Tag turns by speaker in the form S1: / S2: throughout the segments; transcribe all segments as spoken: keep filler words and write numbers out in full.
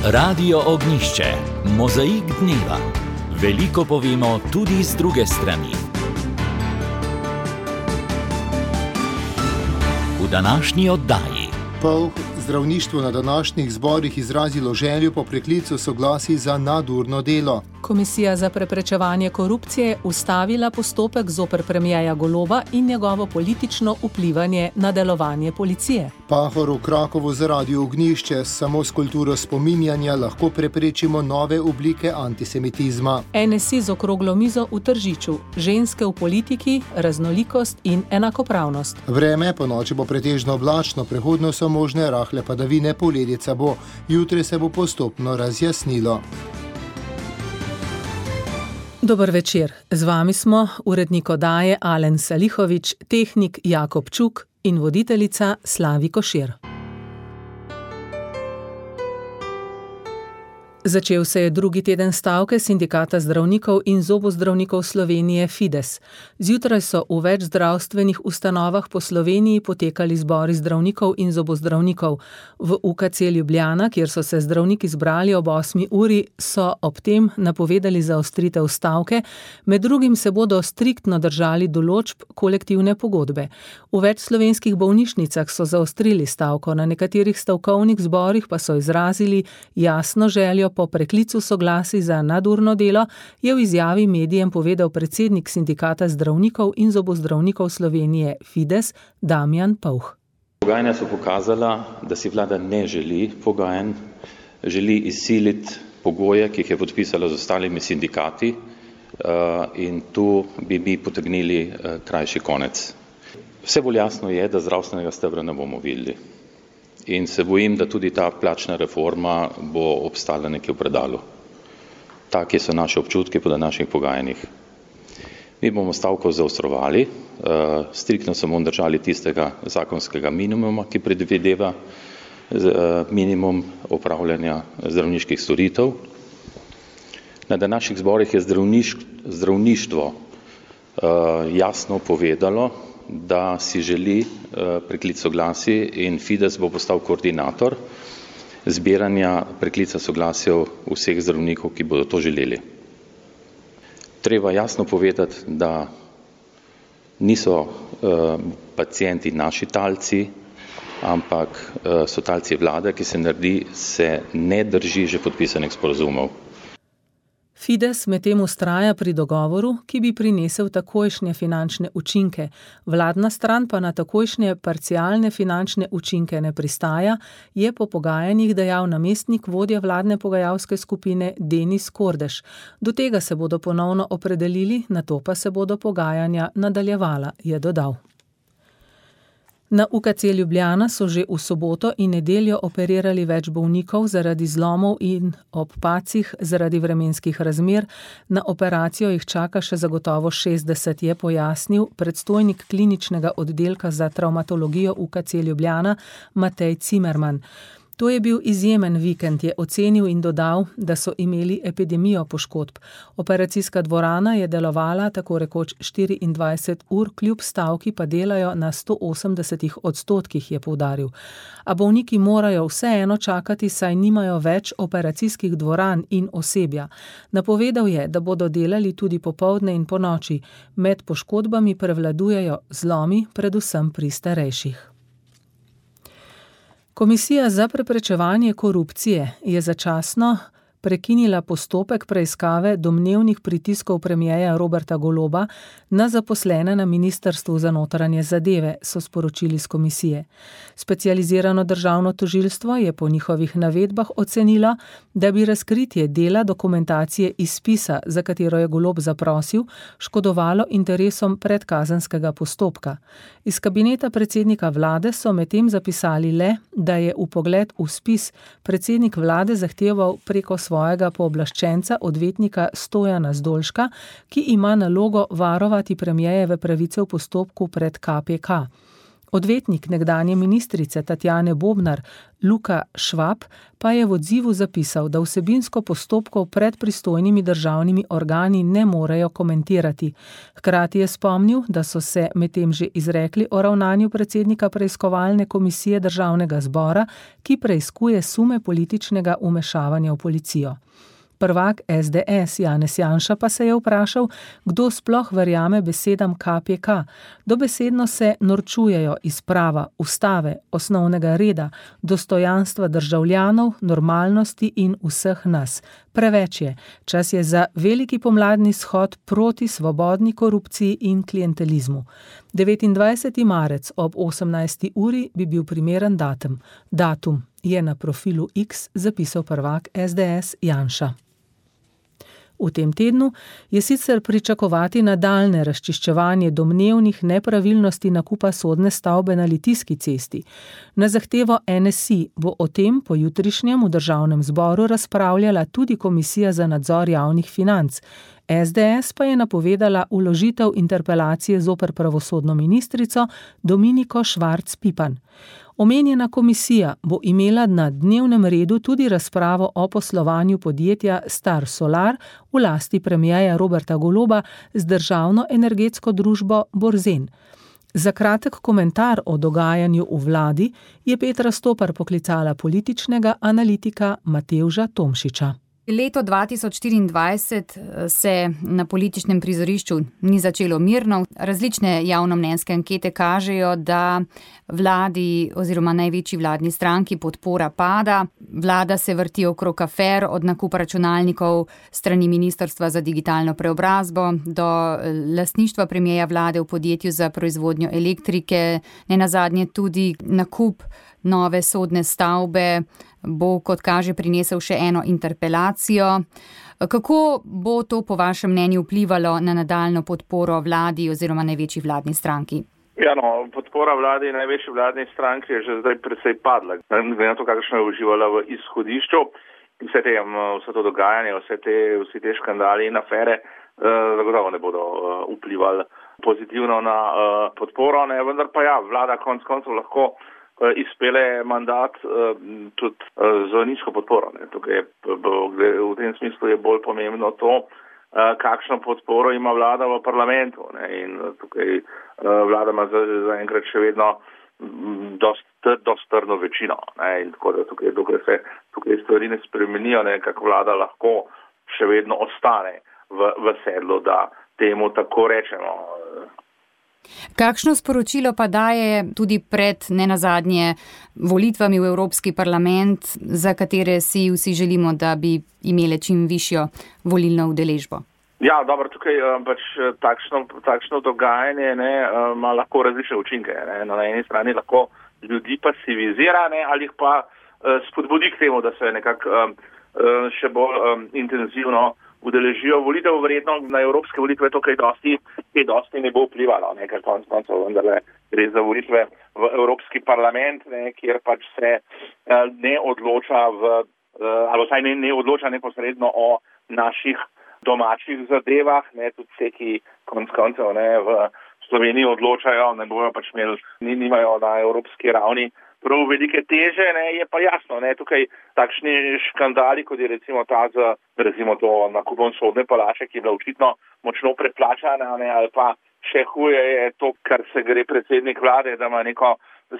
S1: Radio Ognišče, mozaik dneva. Veliko povemo tudi z druge strani. V današnji oddaji.
S2: Polh zdravništvo na današnjih zborih izrazilo željo po preklicu soglasij za nadurno delo.
S3: Komisija za preprečevanje korupcije ustavila postopek zoper premierja Goloba in njegovo politično vplivanje na delovanje policije.
S2: Pahor v Krakovu za Radio Ognišče, samo s kulturo spominjanja lahko preprečimo nove oblike antisemitizma.
S3: N S I z okroglo mizo v Tržiču, ženske v politiki, raznolikost in enakopravnost.
S2: Vreme po noči bo pretežno oblačno, prehodno so možne rahle padavine, poledica bo. Jutri se bo postopno razjasnilo.
S3: Dober večer, z vami smo urednik oddaje Alen Salihović, tehnik Jakob Čuk in voditeljica Slavi Košir. Začel se je drugi teden stavke Sindikata zdravnikov in zobozdravnikov Slovenije Fides. Zjutraj so v več zdravstvenih ustanovah po Sloveniji potekali zbori zdravnikov in zobozdravnikov. V U K C Ljubljana, kjer so se zdravniki zbrali ob osmi uri, so ob tem napovedali zaostritev stavke, med drugim se bodo striktno držali določb kolektivne pogodbe. V več slovenskih bolnišnicah so zaostrili stavko, na nekaterih stavkovnih zborih pa so izrazili jasno željo po preklicu soglasij za nadurno delo, je v izjavi medijem povedal predsednik Sindikata zdravnikov in zobozdravnikov Slovenije Fides Damjan Pouh.
S4: Pogajanja so pokazala, da si vlada ne želi pogajanj, želi izsiliti pogoje, ki jih je podpisala z ostalimi sindikati, in tu bi mi potegnili krajši konec. Vse bolj jasno je, da zdravstvenega stebra ne bomo videli. In se bojim, da tudi ta plačna reforma bo obstala nekje v predalu. Taki so naše občutki po današnjih pogajanjih. Mi bomo stavko zaostrovali, striktno se bomo držali tistega zakonskega minimuma, ki predvideva minimum opravljanja zdravniških storitev. Na današnjih zborih je zdravništvo jasno povedalo, da si želi preklic soglasij in Fides bo postal koordinator zbiranja preklica soglasjev vseh zdravnikov, ki bodo to želeli. Treba jasno povedati, da niso pacienti naši talci, ampak so talci vlade, ki se naredi, se ne drži že podpisanih sporazumov.
S3: Fides medtem vztraja pri dogovoru, ki bi prinesel takojšnje finančne učinke. Vladna stran pa na takojšnje parcialne finančne učinke ne pristaja, je po pogajanjih dejal namestnik vodja vladne pogajalske skupine Denis Kordež. Do tega se bodo ponovno opredelili, nato pa se bodo pogajanja nadaljevala, je dodal. Na U K C Ljubljana so že v soboto in nedeljo operirali več bolnikov zaradi zlomov in ob pacih zaradi vremenskih razmer. Na operacijo jih čaka še zagotovo šestdeset, je pojasnil predstojnik kliničnega oddelka za travmatologijo U K C Ljubljana Matej Cimerman. To je bil izjemen vikend, je ocenil in dodal, da so imeli epidemijo poškodb. Operacijska dvorana je delovala tako rekoč štiriindvajset ur, kljub stavki pa delajo na sto osemdesetih odstotkih, je poudaril. A bolniki morajo vseeno čakati, saj nimajo več operacijskih dvoran in osebja. Napovedal je, da bodo delali tudi popoldne in ponoči. Med poškodbami prevladujejo zlomi, predvsem pri starejših. Komisija za preprečevanje korupcije je začasno prekinila postopek preiskave domnevnih pritiskov premierja Roberta Goloba na zaposlene na Ministrstvu za notranje zadeve, so sporočili z komisije. Specializirano državno tožilstvo je po njihovih navedbah ocenilo, da bi razkritje dela dokumentacije iz spisa, za katero je Golob zaprosil, škodovalo interesom predkazenskega postopka. Iz kabineta predsednika vlade so medtem zapisali le, da je vpogled v spis predsednik vlade zahteval preko svojega pooblaščenca odvetnika Stojana Zdolška, ki ima nalogo varovati premierjeve pravice v postopku pred K P K. Odvetnik nekdanje ministrice Tatjane Bobnar, Luka Švab, pa je v odzivu zapisal, da vsebinsko postopkov pred pristojnimi državnimi organi ne morejo komentirati. Hkrati je spomnil, da so se medtem že izrekli o ravnanju predsednika preiskovalne komisije državnega zbora, ki preiskuje sume političnega vmešavanja v policijo. Prvak es de es Janez Janša pa se je vprašal, kdo sploh verjame besedam ka pe ka. Dobesedno se norčujejo iz prava, ustave, osnovnega reda, dostojanstva državljanov, normalnosti in vseh nas. Preveč je. Čas je za veliki pomladni shod proti svobodni korupciji in klientelizmu. devetindvajseti marec ob osemnajsti uri bi bil primeren datum. Datum je na profilu X zapisal prvak es de es Janša. V tem tednu je sicer pričakovati nadaljnje razčiščevanje domnevnih nepravilnosti nakupa sodne stavbe na Litijski cesti. Na zahtevo en es i bo o tem po jutrišnjem v državnem zboru razpravljala tudi Komisija za nadzor javnih financ. es de es pa je napovedala vložitev interpelacije zoper pravosodno ministrico Dominiko Švarc Pipan. Omenjena komisija bo imela na dnevnem redu tudi razpravo o poslovanju podjetja Star Solar v lasti premierja Roberta Goloba z državno energetsko družbo Borzen. Za kratek komentar o dogajanju v vladi je Petra Stopar poklicala političnega analitika Matevža Tomšiča.
S5: Leto dva tisoč štiriindvajset se na političnem prizorišču ni začelo mirno. Različne javnomnenjske ankete kažejo, da vladi oziroma največji vladni stranki podpora pada. Vlada se vrti okrog afer od nakupa računalnikov strani Ministrstva za digitalno preobrazbo do lastništva premierja vlade v podjetju za proizvodnjo elektrike, nenazadnje tudi nakup nove sodne stavbe bo, kot kaže, prinesel še eno interpelacijo. Kako bo to po vašem mnenju vplivalo na nadaljno podporo vladi oziroma največji vladni stranki?
S6: Ja, no, podpora vladi in največji vladni stranki je že zdaj precej padla. Glede na to, kakšno je uživala v izhodišču, vse, te, vse to dogajanje, vse te, vsi te škandali in afere, zagotovo ne bodo vplivali pozitivno na podporo, ne, vendar pa ja, vlada konc koncev lahko izpele mandat tudi z nizko podporo. Ne. Tukaj je, v tem smislu je bolj pomembno to, kakšno podporo ima vlada v parlamentu. Ne. In tukaj vlada ima zaenkrat še vedno dosti trdno večino. Ne. In tako da tukaj, dokaj se tukaj stvari ne spremenijo, ne, kako vlada lahko še vedno ostane v, v sedlu, da temu tako rečemo.
S5: Kakšno sporočilo pa daje tudi pred nenazadnje volitvami v Evropski parlament, za katere si vsi želimo, da bi imele čim višjo volilno udeležbo?
S6: Ja, dobro, tukaj pač takšno, takšno dogajanje ne, ima lahko različne učinke. Ne. Na eni strani lahko ljudi pasivizira, ne, ali jih pa spodbudi k temu, da se nekako še bolj intenzivno udeležijo volitev. Verjetno na evropske volitve to kaj dosti, kaj dosti ne bo vplivalo, ne, ker konec koncev vendarle gre za volitve v Evropski parlament, ne, kjer pač se ne odloča v, ali vsaj ne, ne odloča neposredno o naših domačih zadevah, ne, tudi vse, ki konec koncev ne, v Sloveniji odločajo, ne bojo pač imeli, nimajo na evropski ravni prav velike teže, ne, je pa jasno, ne, tukaj takšni škandali, kot je recimo ta z, recimo to nakupom sodne palače, ki je bila očitno močno preplačana, ne, ali pa še huje je to, kar se gre predsednik vlade, da ima neko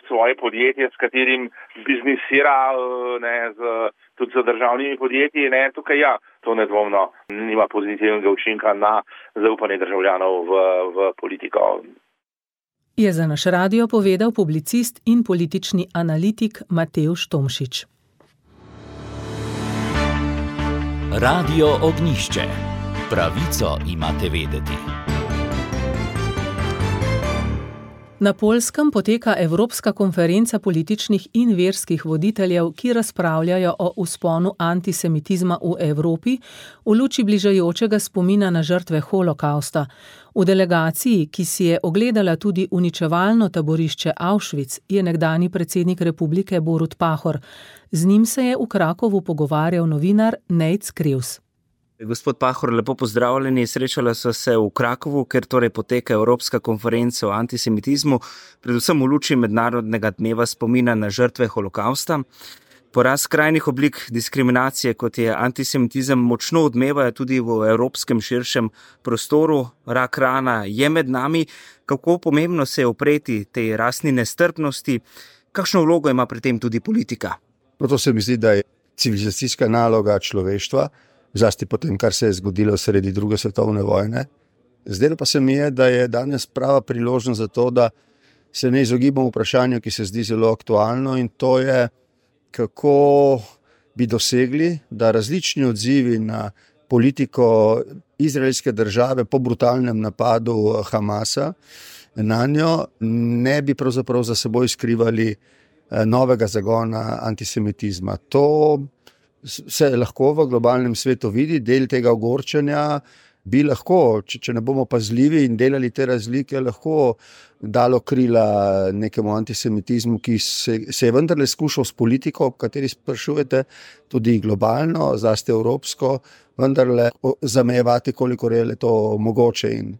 S6: svoje podjetje, s katerim biznisira, ne, z, tudi z državnimi podjetji, ne, tukaj ja, to nedvomno nima pozitivnega učinka na zaupanje državljanov v, v politiko.
S3: Je za naš radio povedal publicist in politični analitik Matevž Tomšič.
S1: Radio Ognjišče. Pravico imate vedeti.
S3: Na Poljskem poteka Evropska konferenca političnih in verskih voditeljev, ki razpravljajo o vzponu antisemitizma v Evropi v luči bližajočega spomina na žrtve holokausta. V delegaciji, ki si je ogledala tudi uničevalno taborišče Auschwitz, je nekdanji predsednik republike Borut Pahor. Z njim se je v Krakovu pogovarjal novinar Nejc Krevs.
S7: Gospod Pahor, lepo pozdravljeni. Srečala so se v Krakovu, ker torej poteka Evropska konferenca o antisemitizmu, predvsem v luči mednarodnega dneva spomina na žrtve holokausta. Porast skrajnih oblik diskriminacije, kot je antisemitizem, močno odmeva tudi v evropskem širšem prostoru. Rak rana je med nami. Kako pomembno se je upreti tej rasni nestrpnosti? Kakšno vlogo ima pri tem tudi politika?
S8: No, to se mi zdi, da je civilizacijska naloga človeštva, zlasti po tem, kar se je zgodilo sredi druge svetovne vojne. Zdelo pa se mi je, da je danes prava priložnost za to, da se ne izogibamo vprašanju, ki se zdi zelo aktualno, in to je, kako bi dosegli, da različni odzivi na politiko izraelske države po brutalnem napadu Hamasa na njo ne bi pravzaprav za seboj skrivali novega zagona antisemitizma. To se lahko v globalnem svetu vidi, del tega ogorčenja bi lahko, če, če ne bomo pazljivi in delali te razlike, lahko dalo krila nekemu antisemitizmu, ki se, se je vendarle skušal s politiko, o kateri sprašujete, tudi globalno, zlasti evropsko, vendarle zamejevati, koliko je to mogoče, in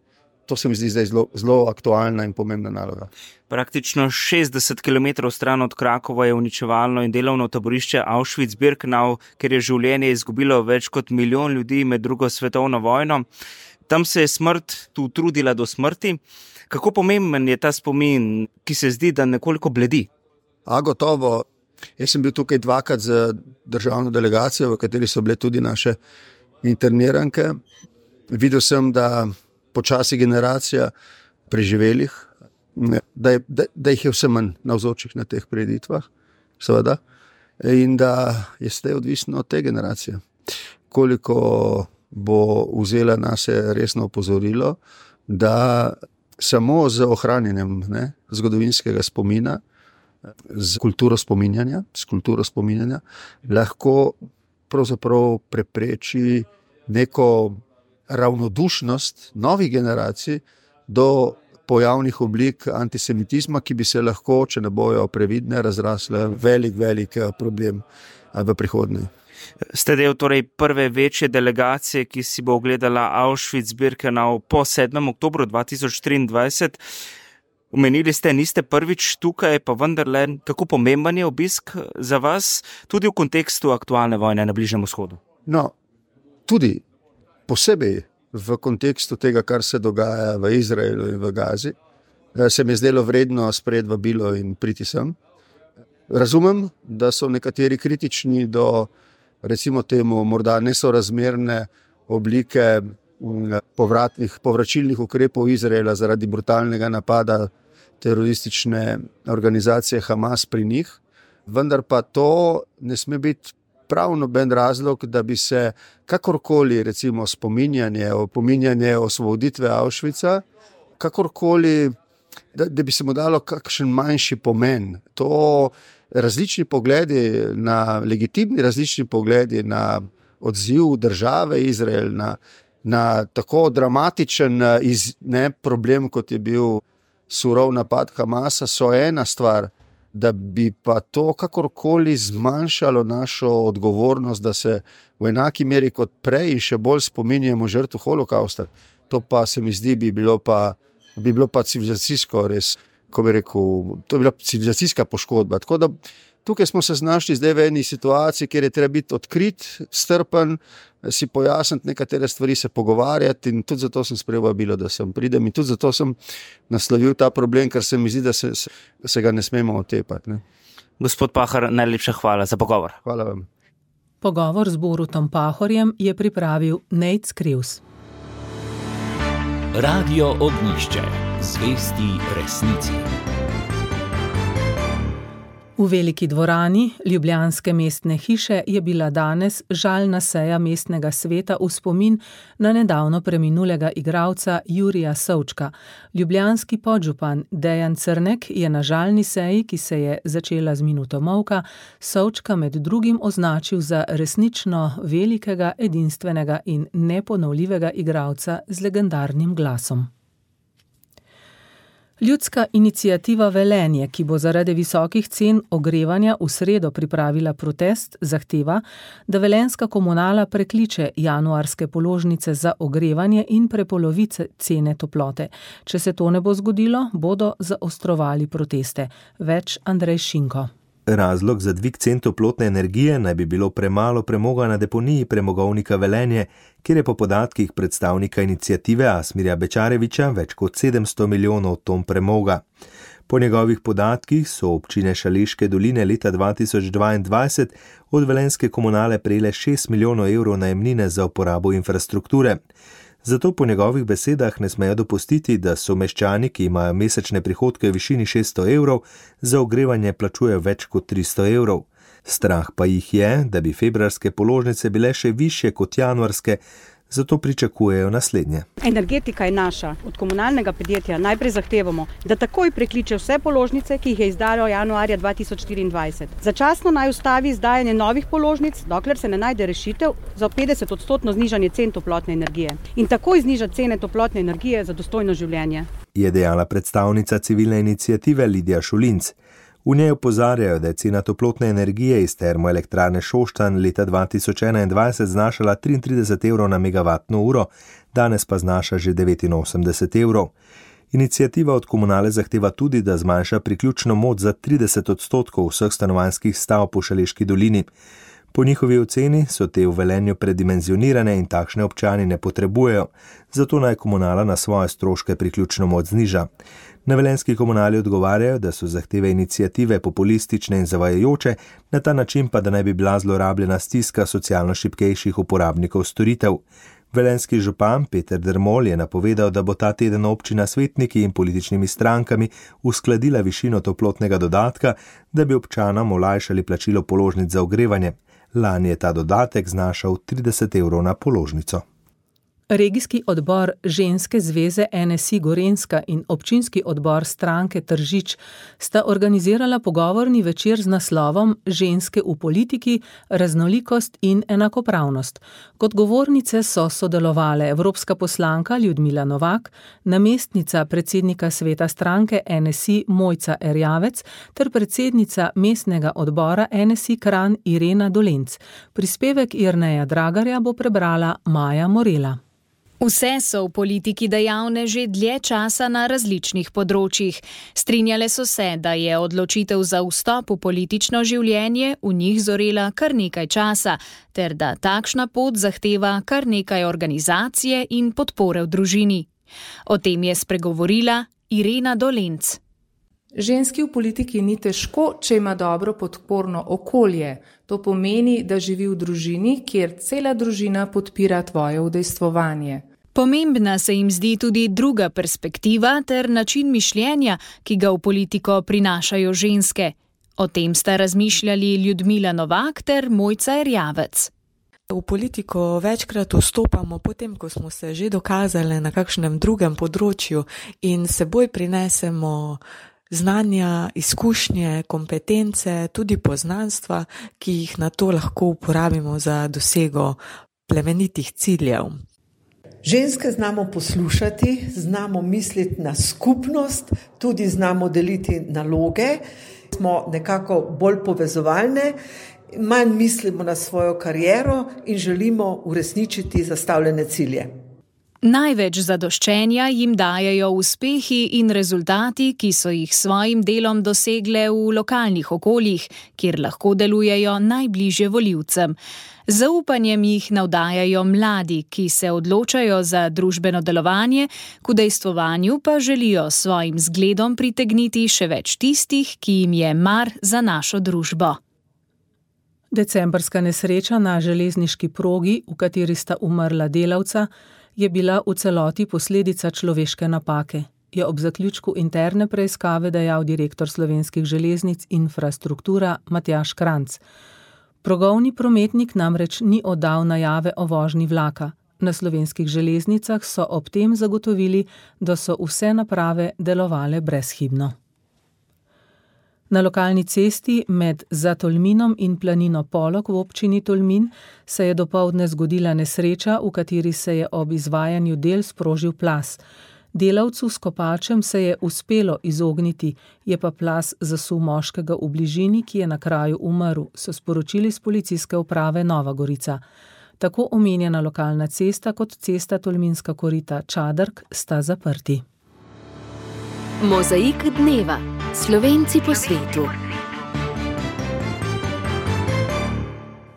S8: to se mi zdi zdaj zelo, zelo aktualna in pomembna naloga.
S7: Praktično šestdeset kilometrov stran od Krakova je uničevalno in delovno taborišče Auschwitz-Birkenau, ker je življenje izgubilo več kot milijon ljudi med drugo svetovno vojno. Tam se je smrt tu trudila do smrti. Kako pomemben je ta spomin, ki se zdi, da nekoliko bledi?
S8: A gotovo. Jaz sem bil tukaj dvakrat z državno delegacijo, v kateri so bile tudi naše interniranke. Videl sem, da počasi generacija preživelih, da, je, da, da jih je vse manj navzočih na teh prireditvah, seveda, in da je zdaj odvisno od te generacije. Koliko bo vzela nase resno opozorilo, da samo z ohranjenjem ne, zgodovinskega spomina, z kulturo spominjanja, z kulturo spominjanja, lahko pravzaprav prepreči neko ravnodušnost novih generacij do pojavnih oblik antisemitizma, ki bi se lahko, če ne bojo previdne, razrasle velik, velik problem v prihodnje.
S7: Ste del torej prve večje delegacije, ki si bo ogledala Auschwitz-Birkenau po sedmem oktobru dva tisoč triindvajset. Omenili ste, niste prvič tukaj, pa vendarle, kako pomemben je obisk za vas, tudi v kontekstu aktualne vojne na Bližnjem vzhodu?
S8: No, tudi posebej v kontekstu tega, kar se dogaja v Izraelu in v Gazi, se mi je zdelo vredno sprejeti vabilo in priti sem. Razumem, da so nekateri kritični do, recimo temu, morda nesorazmerne oblike povratnih, povračilnih ukrepov Izraela zaradi brutalnega napada teroristične organizacije Hamas pri njih, vendar pa to ne sme biti prav noben razlog, da bi se kakorkoli, recimo spominjanje, opominjanje osvoboditve Auschwitza, kakorkoli, da, da bi se mu dalo kakšen manjši pomen. To različni pogledi na, legitimni različni pogledi na odziv države Izrael, na, na tako dramatičen iz, ne, problem, kot je bil surov napad Hamasa, so ena stvar, da bi pa to kakorkoli zmanjšalo našo odgovornost, da se v enaki meri kot prej in še bolj spominjamo žrtev holokausta. To pa se mi zdi, bi bilo pa, bi bilo pa civilizacijsko res, ko bi rekel, to je bila civilizacijska poškodba. Tako da tukaj smo se znašli zdaj v eni situaciji, kjer je treba biti odkrit, strpen, si pojasniti nekatere stvari, se pogovarjati, in tudi zato sem sprejel vabilo, da sem pridem, in tudi zato sem naslovil ta problem, ker se mi zdi, da se, se ga ne smemo otepati. Ne.
S7: Gospod Pahor, najlepša hvala za pogovor.
S8: Hvala vam.
S3: Pogovor z Borutom Pahorjem je pripravil Nejc Krivs.
S1: Radio Ognjišče, zvesti resnici.
S3: V veliki dvorani ljubljanske mestne hiše je bila danes žalna seja mestnega sveta v spomin na nedavno preminulega igralca Jurija Savčka. Ljubljanski podžupan Dejan Crnek je na žalni seji, ki se je začela z minuto molka, Savčka med drugim označil za resnično velikega, edinstvenega in neponovljivega igralca z legendarnim glasom. Ljudska iniciativa Velenje, ki bo zaradi visokih cen ogrevanja v sredo pripravila protest, zahteva, da velenjska komunala prekliče januarske položnice za ogrevanje in prepolovi cene toplote. Če se to ne bo zgodilo, bodo zaostrovali proteste. Več Andrej Šinko.
S9: Razlog za dvig cen toplotne energije naj bi bilo premalo premoga na deponiji premogovnika Velenje, kjer je po podatkih predstavnika iniciative Asmirja Bečareviča več kot sedemsto milijonov ton premoga. Po njegovih podatkih so občine Šaleške doline leta dva tisoč dvaindvajset od velenjske komunale prejele šest milijonov evrov najemnine za uporabo infrastrukture. Zato po njegovih besedah ne smejo dopustiti, da so meščani, ki imajo mesečne prihodke v višini šeststo evrov, za ogrevanje plačujejo več kot tristo evrov. Strah pa jih je, da bi februarske položnice bile še višje kot januarske, zato pričakujejo naslednje.
S10: Energetika je naša. Od komunalnega podjetja najprej zahtevamo, da takoj prekliče vse položnice, ki jih je izdalo januarja dva tisoč štiriindvajset. Začasno naj ustavi izdajanje novih položnic, dokler se ne najde rešitev za petdeset odstotno znižanje cen toplotne energije. In takoj znižati cene toplotne energije za dostojno življenje. Je
S9: dejala predstavnica civilne iniciative Lidija Šulinc. V njej opozarjajo, da je cena toplotne energije iz termoelektrarne Šoštanj leta dva tisoč enaindvajset znašala triintrideset evrov na megavatno uro, danes pa znaša že devetinosemdeset evrov. Iniciativa od komunale zahteva tudi, da zmanjša priključno moč za trideset odstotkov vseh stanovanjskih stavb v Šaleški dolini. Po njihovi oceni so te v Velenju predimenzionirane in takšne občani ne potrebujejo, zato naj komunala na svoje stroške priključno moč zniža. Na velenjski komunali odgovarjajo, da so zahteve iniciative populistične in zavajajoče, na ta način pa, da naj bi bila zlorabljena stiska socialno šibkejših uporabnikov storitev. Velenjski župan Peter Dermol je napovedal, da bo ta teden občina s svetniki in političnimi strankami uskladila višino toplotnega dodatka, da bi občanom olajšali plačilo položnic za ogrevanje. Lani je ta dodatek znašal trideset evrov na položnico.
S3: Regijski odbor Ženske zveze N S I Gorenjska in občinski odbor stranke Tržič sta organizirala pogovorni večer z naslovom Ženske v politiki, raznolikost in enakopravnost. Kot govornice so sodelovale evropska poslanka Ljudmila Novak, namestnica predsednika sveta stranke N S I Mojca Erjavec ter predsednica mestnega odbora N S I Kranj Irena Dolenc. Prispevek Jerneja Dragarja bo prebrala Maja Morela.
S11: Vse so v politiki dejavne že dlje časa na različnih področjih. Strinjale so se, da je odločitev za vstop v politično življenje v njih zorela kar nekaj časa, ter da takšna pot zahteva kar nekaj organizacije in podpore v družini. O tem je spregovorila Irena Dolenc.
S12: Ženski v politiki ni težko, če ima dobro podporno okolje. To pomeni, da živi v družini, kjer cela družina podpira tvoje udejstvovanje.
S11: Pomembna se jim zdi tudi druga perspektiva ter način mišljenja, ki ga v politiko prinašajo ženske. O tem sta razmišljali Ljudmila Novak ter Mojca Erjavec.
S13: V politiko večkrat vstopamo potem, ko smo se že dokazali na kakšnem drugem področju in seboj prinesemo znanja, izkušnje, kompetence, tudi poznanstva, ki jih na to lahko uporabimo za dosego plemenitih ciljev.
S14: Ženske znamo poslušati, znamo misliti na skupnost, tudi znamo deliti naloge, smo nekako bolj povezovalne, manj mislimo na svojo kariero in želimo uresničiti zastavljene cilje.
S11: Največ zadoščenja jim dajejo uspehi in rezultati, ki so jih s svojim delom dosegle v lokalnih okoljih, kjer lahko delujejo najbližje volivcem. Z zaupanjem jih navdajajo mladi, ki se odločajo za družbeno delovanje, k udejstvovanju pa želijo s svojim zgledom pritegniti še več tistih, ki jim je mar za našo družbo.
S3: Decembrska nesreča na železniški progi, v kateri sta umrla delavca, je bila v celoti posledica človeške napake, je ob zaključku interne preiskave dejal direktor Slovenskih železnic Infrastruktura Matjaž Kranjc. Progovni prometnik namreč ni oddal najave o vožnji vlaka. Na Slovenskih železnicah so ob tem zagotovili, da so vse naprave delovale brezhibno. Na lokalni cesti med Zatolminom in planino Polog v občini Tolmin se je dopoldne zgodila nesreča, v kateri se je ob izvajanju del sprožil plaz. Delavcu s kopačem se je uspelo izogniti, je pa plaz zasul moškega v bližini, ki je na kraju umrl, so sporočili s policijske uprave Nova Gorica. Tako omenjena lokalna cesta kot cesta Tolminska korita Čadrk sta zaprti.
S15: Mozaik dneva. Slovenci po svetu.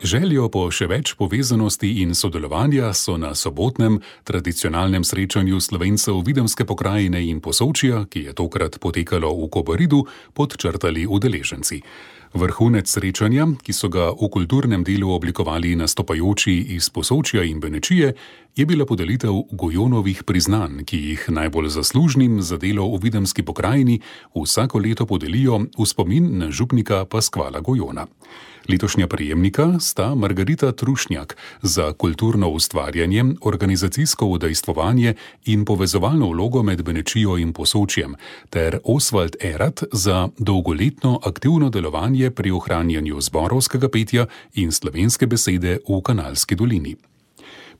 S16: Željo po še več povezanosti in sodelovanja so na sobotnem tradicionalnem srečanju Slovencev Videmske pokrajine in Posočja, ki je tokrat potekalo v Kobaridu, podčrtali udeleženci. Vrhunec srečanja, ki so ga v kulturnem delu oblikovali nastopajoči iz Posočja in Benečije, je bila podelitev Gojonovih priznanj, ki jih najbolj zaslužnim za delo v Videmski pokrajini vsako leto podelijo v spomin na župnika Paskvala Gojona. Letošnja prejemnika sta Margarita Trušnjak za kulturno ustvarjanje, organizacijsko udejstvovanje in povezovalno vlogo med Benečijo in Posočjem, ter Osvald Erat za dolgoletno aktivno delovanje pri ohranjanju zborovskega petja in slovenske besede v Kanalski dolini.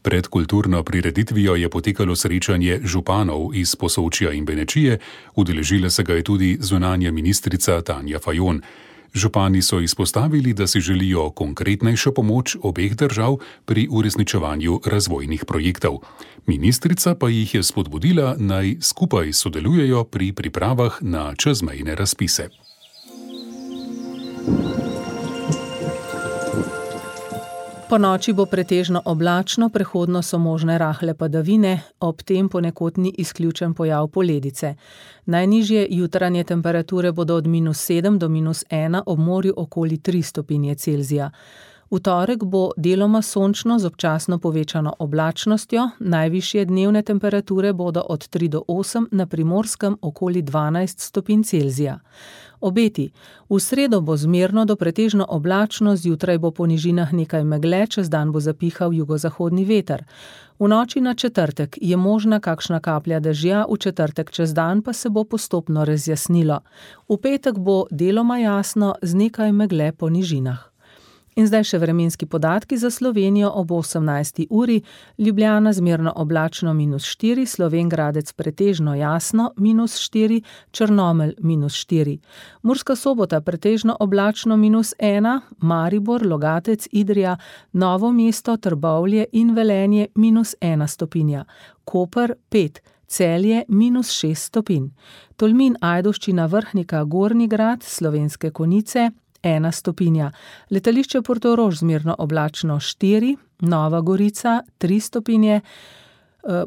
S16: Pred kulturno prireditvijo je potekalo srečanje županov iz Posočja in Benečije, udeležila se ga je tudi zunanja ministrica Tanja Fajon. Župani so izpostavili, da si želijo konkretnejšo pomoč obeh držav pri uresničevanju razvojnih projektov. Ministrica pa jih je spodbudila, naj skupaj sodelujejo pri pripravah na čezmejne razpise.
S3: Po noči bo pretežno oblačno, prehodno so možne rahle padavine, ob tem ponekod ni izključen pojav poledice. Najnižje jutranje temperature bodo od minus sedem do minus ena, ob morju okoli tri stopinje Celzija. V torek bo deloma sončno z občasno povečano oblačnostjo, najvišje dnevne temperature bodo od tri do osem, na Primorskem okoli dvanajst stopinj Celzija. Obeti. V sredo bo zmerno do pretežno oblačno, zjutraj bo po nižinah nekaj megle, čez dan bo zapihal jugozahodni veter. V noči na četrtek je možna kakšna kaplja dežja, v četrtek čez dan pa se bo postopno razjasnilo. V petek bo deloma jasno z nekaj megle po nižinah. In zdaj še vremenski podatki za Slovenijo ob osemnajsti uri, Ljubljana zmerno oblačno minus štiri, Slovenj Gradec pretežno jasno minus štiri, Črnomelj minus štiri. Murska Sobota pretežno oblačno minus ena, Maribor, Logatec, Idrija, Novo mesto, Trbovlje in Velenje minus ena stopinja. Koper pet, Celje minus šest stopinj. Tolmin, Ajdovščina, Vrhnika, Gornji Grad, Slovenske Konjice ena stopinja. Letališče Portorož zmerno oblačno štiri, Nova Gorica tri stopinje,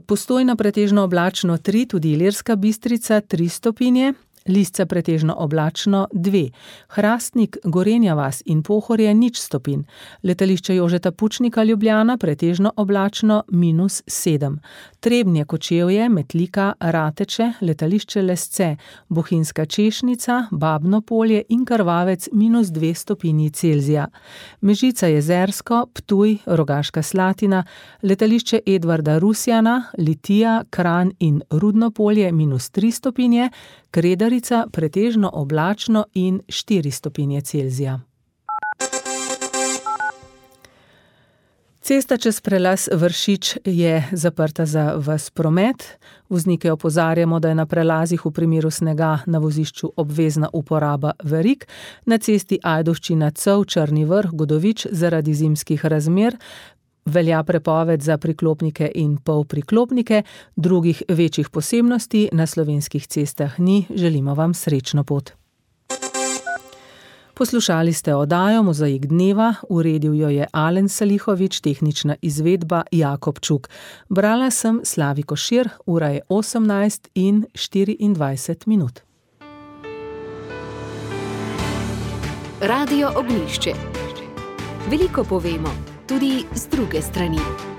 S3: Postojna pretežno oblačno tri, tudi Ilirska Bistrica tri stopinje, Lisca pretežno oblačno dve, Hrastnik, Gorenja vas in Pohorje nič stopinj, letališče Jožeta Pučnika Ljubljana pretežno oblačno minus sedem, Trebnje, Kočevje, Metlika, Rateče, letališče Lesce, Bohinjska Češnica, Babno Polje in Krvavec minus dve stopinji Celzija, Mežica, Jezersko, Ptuj, Rogaška Slatina, letališče Edvarda Rusjana, Litija, Kranj in Rudno Polje minus tri stopinje, Kredarica pretežno oblačno in štiri stopinje Celzija. Cesta čez prelaz Vršič je zaprta za ves promet. Voznike opozarjamo, da je na prelazih v primeru snega na vozišču obvezna uporaba verig. Na cesti Ajdovščina Cev, Črni Vrh, Godovič zaradi zimskih razmer velja prepoved za priklopnike in polpriklopnike, drugih večjih posebnosti na slovenskih cestah ni. Želimo vam srečno pot. Poslušali ste oddajo Mozaik dneva, uredil jo je Alen Salihovič, tehnična izvedba Jakob Čuk. Brala sem Slavi Košir, ura je osemnajst in štiriindvajset minut.
S15: Radio Ognjišče. Veliko povemo, tudi z druge strani.